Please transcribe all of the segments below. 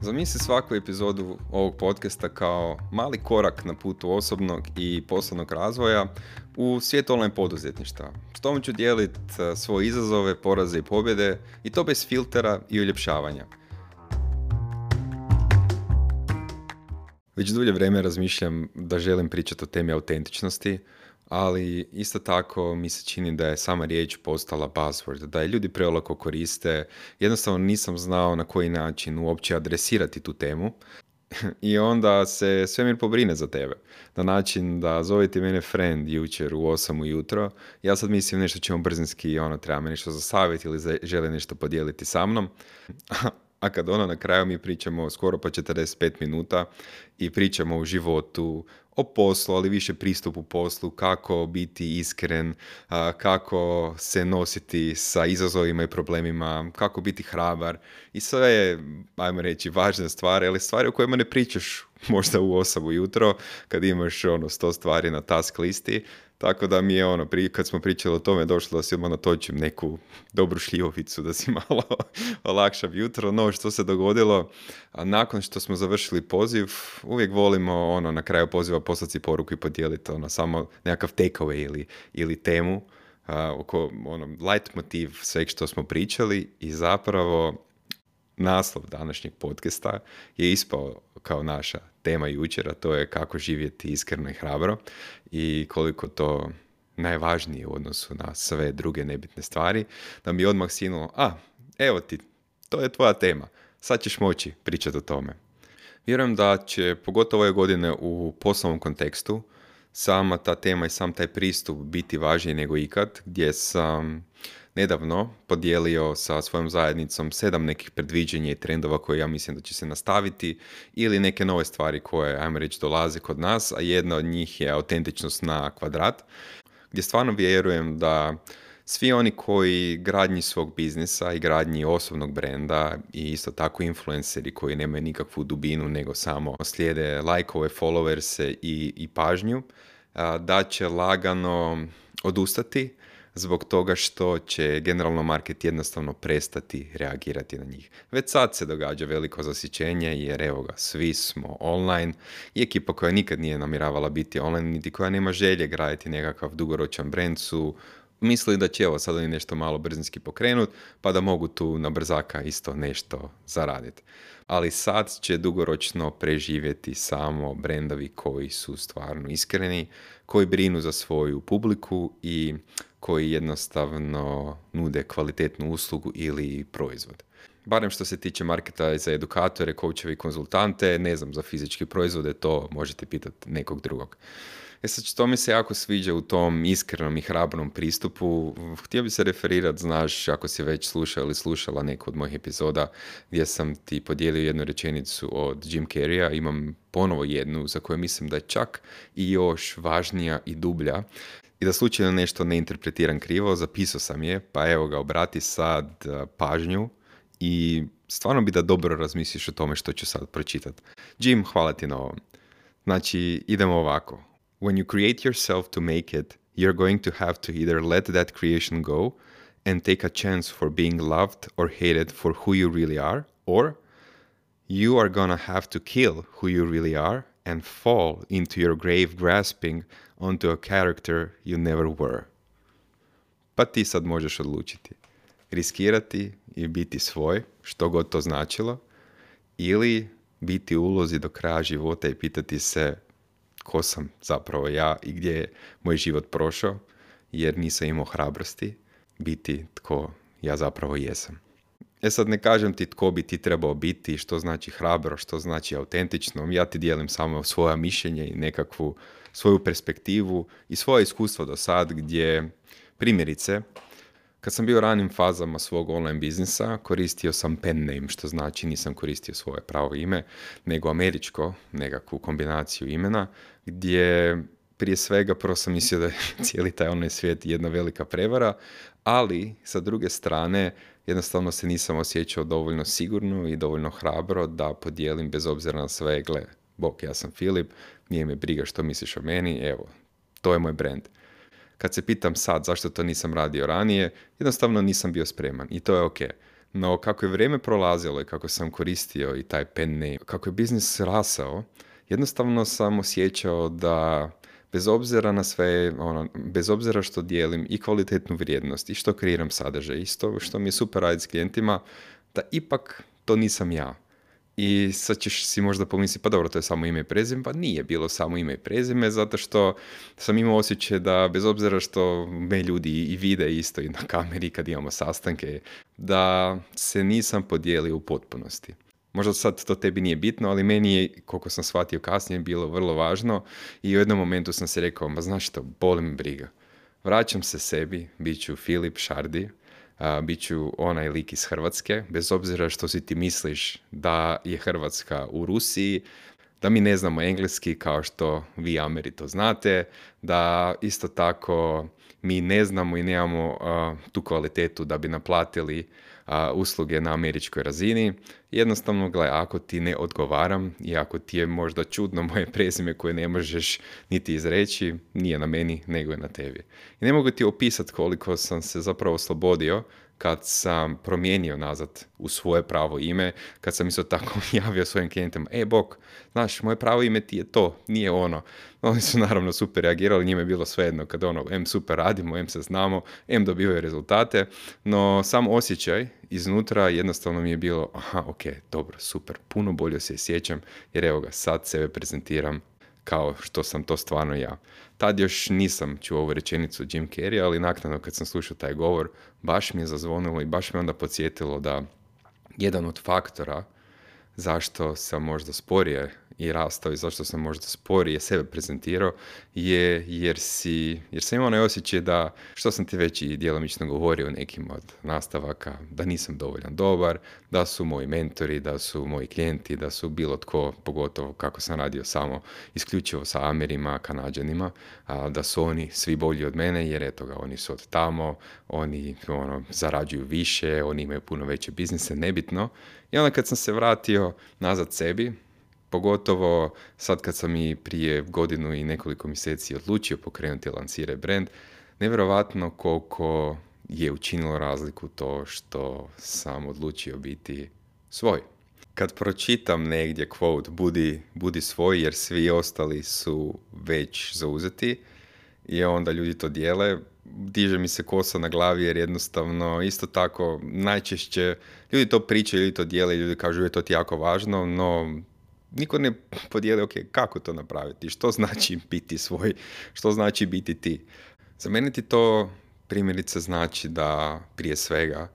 Zamisli svaku epizodu ovog podcasta kao mali korak na putu osobnog i poslovnog razvoja u svijet online poduzetništva. S tom ću dijeliti svoje izazove, poraze i pobjede i to bez filtera i uljepšavanja. Već dulje vrijeme razmišljam da želim pričati o temi autentičnosti, ali isto tako mi se čini da je sama riječ postala buzzword, da je ljudi preolako koriste. Jednostavno nisam znao na koji način uopće adresirati tu temu i onda se svemir pobrine za tebe. Na način da zovete mene friend jučer u 8 ujutro, ja sad mislim nešto ćemo brzinski, treba me nešto za savjet ili žele nešto podijeliti sa mnom. A kad na kraju mi pričamo skoro pa 45 minuta i pričamo o životu, o poslu, ali više pristupu poslu, kako biti iskren, kako se nositi sa izazovima i problemima, kako biti hrabar. I sve je, ajmo reći, važne stvari, ali stvari o kojima ne pričaš možda u 8 ujutro, kad imaš 100 stvari na task listi. Tako da mi je kad smo pričali o tome, došlo da si odmah natočim neku dobru šljivovicu, da si malo olakšam jutro. No, što se dogodilo, nakon što smo završili poziv, uvijek volimo na kraju poziva poslati poruku i podijeliti samo nekakav takeaway ili temu, oko light motiv sveg što smo pričali i zapravo naslov današnjeg podcasta je ispao kao naša tema jučer, a to je kako živjeti iskreno i hrabro i koliko to najvažnije u odnosu na sve druge nebitne stvari, da mi odmah sinulo, evo ti, to je tvoja tema, sad ćeš moći pričati o tome. Vjerujem da će, pogotovo ove godine u poslovnom kontekstu, sama ta tema i sam taj pristup biti važniji nego ikad, gdje sam nedavno podijelio sa svojom zajednicom 7 nekih predviđenja i trendova koje ja mislim da će se nastaviti ili neke nove stvari koje, ajmo reći, dolaze kod nas, a jedna od njih je autentičnost na kvadrat, gdje stvarno vjerujem da svi oni koji gradnji svog biznisa i gradnji osobnog brenda i isto tako influenceri koji nemaju nikakvu dubinu nego samo slijede lajkove, followerse i pažnju, da će lagano odustati zbog toga što će generalno market jednostavno prestati reagirati na njih. Već sad se događa veliko zasićenje jer evo ga, svi smo online i ekipa koja nikad nije namjeravala biti online, niti koja nema želje graditi nekakav dugoročan brand su mislili da će sad oni nešto malo brzinski pokrenut pa da mogu tu na brzaka isto nešto zaraditi. Ali sad će dugoročno preživjeti samo brendovi koji su stvarno iskreni, koji brinu za svoju publiku i koji jednostavno nude kvalitetnu uslugu ili proizvod. Barem što se tiče marketa za edukatore, coachevi i konzultante, ne znam, za fizičke proizvode, to možete pitati nekog drugog. Sad što mi se jako sviđa u tom iskrenom i hrabrom pristupu, htio bi se referirati, znaš, ako si već slušao ili slušala neku od mojih epizoda gdje sam ti podijelio jednu rečenicu od Jim Carreya, imam ponovo jednu za koju mislim da je čak i još važnija i dublja. I da slučajno nešto ne interpretiram krivo, zapisao sam je, pa evo ga, obrati sad pažnju i stvarno bi da dobro razmisliš o tome što ću sad pročitati. Jim, hvala ti na ovom. Znači, idemo ovako. When you create yourself to make it, you're going to have to either let that creation go and take a chance for being loved or hated for who you really are, or you are gonna have to kill who you really are and fall into your grave grasping onto a character you never were. Pa ti sad možeš odlučiti. Riskirati i biti svoj, što god to značilo, ili biti u ulozi do kraja života i pitati se ko sam zapravo ja i gdje je moj život prošao, jer nisam imao hrabrosti biti tko ja zapravo jesam. Sad ne kažem ti tko bi ti trebao biti, što znači hrabro, što znači autentično. Ja ti dijelim samo svoja mišljenja i nekakvu svoju perspektivu i svoje iskustvo do sad gdje, primjerice, kad sam bio u ranim fazama svog online biznisa, koristio sam pen name, što znači nisam koristio svoje pravo ime, nego američko, nekakvu kombinaciju imena, gdje prije svega prvo sam mislio da je cijeli taj online svijet jedna velika prevara, ali sa druge strane jednostavno se nisam osjećao dovoljno sigurno i dovoljno hrabro da podijelim bez obzira na sve, gle, bok, ja sam Filip, nije me briga što misliš o meni, evo, to je moj brand. Kad se pitam sad zašto to nisam radio ranije, jednostavno nisam bio spreman i to je ok. No, kako je vrijeme prolazilo i kako sam koristio i taj pen name, kako je biznis rasao, jednostavno sam osjećao da bez obzira na sve, bez obzira što dijelim i kvalitetnu vrijednost i što kreiram sadržaj, i što mi je super raditi s klijentima, da ipak to nisam ja. I sad ćeš si možda pomisliti, pa dobro, to je samo ime i prezime, pa nije bilo samo ime i prezime, zato što sam imao osjećaj da bez obzira što me ljudi i vide isto i na kameri kad imamo sastanke, da se nisam podijelio u potpunosti. Možda sad to tebi nije bitno, ali meni je, koliko sam shvatio kasnije, bilo vrlo važno i u jednom momentu sam si rekao, ma znaš što, boli me briga. Vraćam se sebi, bit ću Filip Šardi, bit ću onaj lik iz Hrvatske, bez obzira što si ti misliš da je Hrvatska u Rusiji, da mi ne znamo engleski kao što vi Ameri to znate, da isto tako mi ne znamo i nemamo tu kvalitetu da bi naplatili usluge na američkoj razini. Jednostavno, gledaj, ako ti ne odgovaram i ako ti je možda čudno moje prezime koje ne možeš niti izreći, nije na meni, nego je na tebi. I ne mogu ti opisati koliko sam se zapravo oslobodio kad sam promijenio nazad u svoje pravo ime, kad sam isto tako javio svojim klijentima, bok, znaš, moje pravo ime ti je to, nije ono. Oni su naravno super reagirali, njima je bilo svejedno kad super radimo, se znamo, dobivaju rezultate, no sam osjećaj iznutra jednostavno mi je bilo, ok, dobro, super, puno bolje se sjećam, jer evo ga, sad sebe prezentiram kao što sam to stvarno ja. Tad još nisam čuo ovu rečenicu Jim Carrey, ali naknadno kad sam slušao taj govor, baš mi je zazvonilo i baš me onda podsjetilo da jedan od faktora zašto sam možda sporije i rastao i zašto sam možda sporije sebe prezentirao je jer sam imao onaj osjećaj da, što sam ti već i djelomično govorio u nekim od nastavaka, da nisam dovoljan dobar, da su moji mentori, da su moji klijenti, da su bilo tko, pogotovo kako sam radio samo isključivo sa Amerima, Kanađanima, da su oni svi bolji od mene jer eto ga, oni su od tamo, oni zarađuju više, oni imaju puno veće biznise, nebitno. I onda kad sam se vratio nazad sebi, pogotovo sad kad sam i prije godinu i nekoliko mjeseci odlučio pokrenuti i lansirati brand, nevjerovatno koliko je učinilo razliku to što sam odlučio biti svoj. Kad pročitam negdje quote, budi svoj jer svi ostali su već zauzeti i onda ljudi to dijele, diže mi se kosa na glavi jer jednostavno isto tako najčešće ljudi to pričaju, ljudi to dijele, ljudi kažu je to ti jako važno, no niko ne podijeli kako to napraviti, što znači biti svoj, što znači biti ti. Za mene ti to primjerice znači da prije svega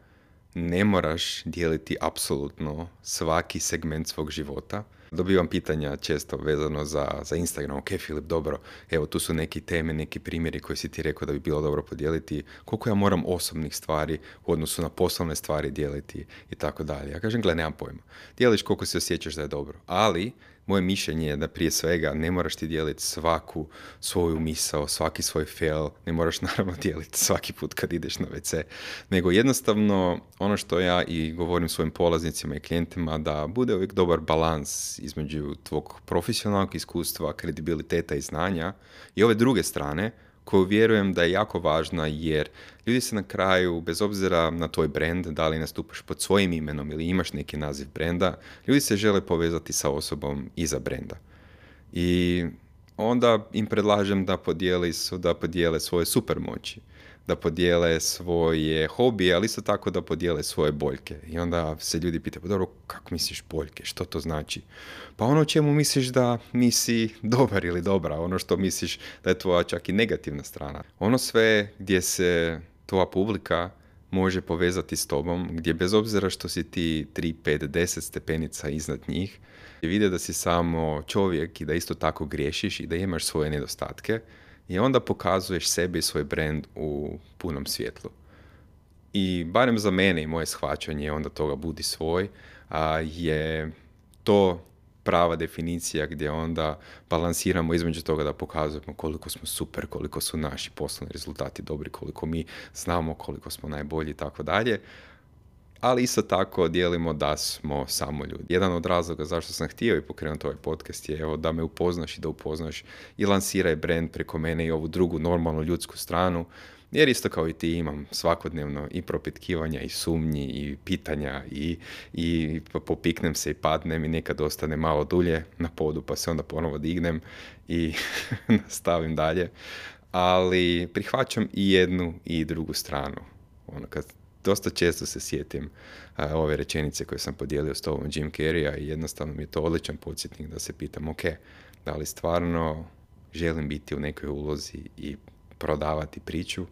ne moraš dijeliti apsolutno svaki segment svog života. Dobivam pitanja često vezano za Instagram. Ok, Filip, dobro, evo tu su neki teme, neki primjeri koji si ti rekao da bi bilo dobro podijeliti. Koliko ja moram osobnih stvari u odnosu na poslovne stvari dijeliti i tako dalje. Ja kažem, nemam pojma. Dijeliš koliko se osjećaš da je dobro. Ali moje mišljenje je da prije svega ne moraš ti dijeliti svaku svoju misao, svaki svoj fail, ne moraš naravno dijeliti svaki put kad ideš na WC, nego jednostavno ono što ja i govorim svojim polaznicima i klijentima, da bude uvijek dobar balans između tvog profesionalnog iskustva, kredibiliteta i znanja i ove druge strane, koju vjerujem da je jako važna jer ljudi se na kraju, bez obzira na tvoj brand, da li nastupaš pod svojim imenom ili imaš neki naziv brenda, ljudi se žele povezati sa osobom iza brenda. I onda im predlažem da podijele svoje supermoći, da podijele svoje hobije, ali isto tako da podijele svoje boljke. I onda se ljudi pitaju, pa dobro, kako misliš boljke, što to znači? Pa ono čemu misliš da nisi dobar ili dobra, ono što misliš da je tvoja čak i negativna strana. Ono sve gdje se tvoja publika može povezati s tobom, gdje bez obzira što si ti 3, 5, 10 stepenica iznad njih, vide da si samo čovjek i da isto tako griješiš i da imaš svoje nedostatke, i onda pokazuješ sebe i svoj brand u punom svjetlu. I barem za mene i moje shvaćanje onda toga budi svoj, je to prava definicija gdje onda balansiramo između toga da pokazujemo koliko smo super, koliko su naši poslovni rezultati dobri, koliko mi znamo, koliko smo najbolji i tako dalje. Ali isto tako dijelimo da smo samo ljudi. Jedan od razloga zašto sam htio i pokrenuti ovaj podcast je da me upoznaš i da upoznaš i lansiraj brand preko mene i ovu drugu normalnu ljudsku stranu, Jer isto kao i ti imam svakodnevno i propitkivanja i sumnji i pitanja i popiknem se i padnem i nekad ostane malo dulje na podu pa se onda ponovo dignem i nastavim dalje. Ali prihvaćam i jednu i drugu stranu. Kad dosta često se sjetim ove rečenice koje sam podijelio s tobom Jim Carreya i jednostavno mi je to odličan podsjetnik da se pitam, ok, da li stvarno želim biti u nekoj ulozi i prodavati priču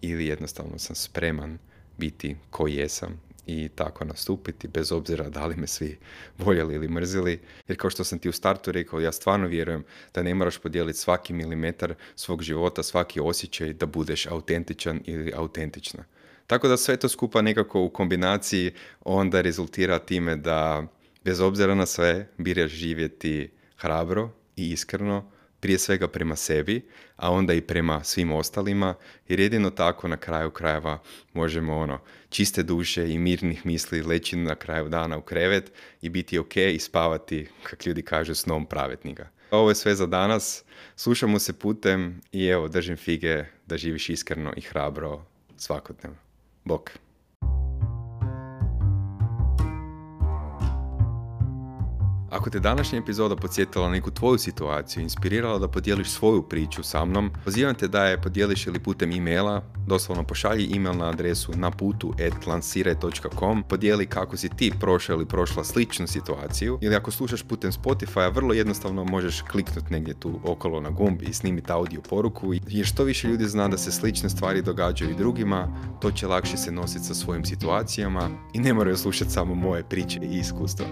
ili jednostavno sam spreman biti ko jesam i tako nastupiti bez obzira da li me svi voljeli ili mrzili. Jer kao što sam ti u startu rekao, ja stvarno vjerujem da ne moraš podijeliti svaki milimetar svog života, svaki osjećaj da budeš autentičan ili autentična. Tako da sve to skupa nekako u kombinaciji onda rezultira time da bez obzira na sve biraš živjeti hrabro i iskreno, prije svega prema sebi, a onda i prema svim ostalima, jer jedino tako na kraju krajeva možemo čiste duše i mirnih misli leći na kraju dana u krevet i biti ok i spavati, kak ljudi kažu, snom pravednika. Ovo je sve za danas, slušamo se putem i evo, držim fige da živiš iskreno i hrabro svakodnevno. Bok. Ako te današnja epizoda podsjetila na neku tvoju situaciju, inspirirala da podijeliš svoju priču sa mnom, pozivam te da je podijeliš ili putem e-maila, doslovno pošalji e-mail na adresu naputu@lansiraj.com, podijeli kako si ti prošao ili prošla sličnu situaciju, ili ako slušaš putem Spotify, vrlo jednostavno možeš kliknuti negdje tu okolo na gumb i snimiti audio poruku, jer što više ljudi zna da se slične stvari događaju i drugima, to će lakše se nositi sa svojim situacijama i ne moraju slušati samo moje priče i iskustva.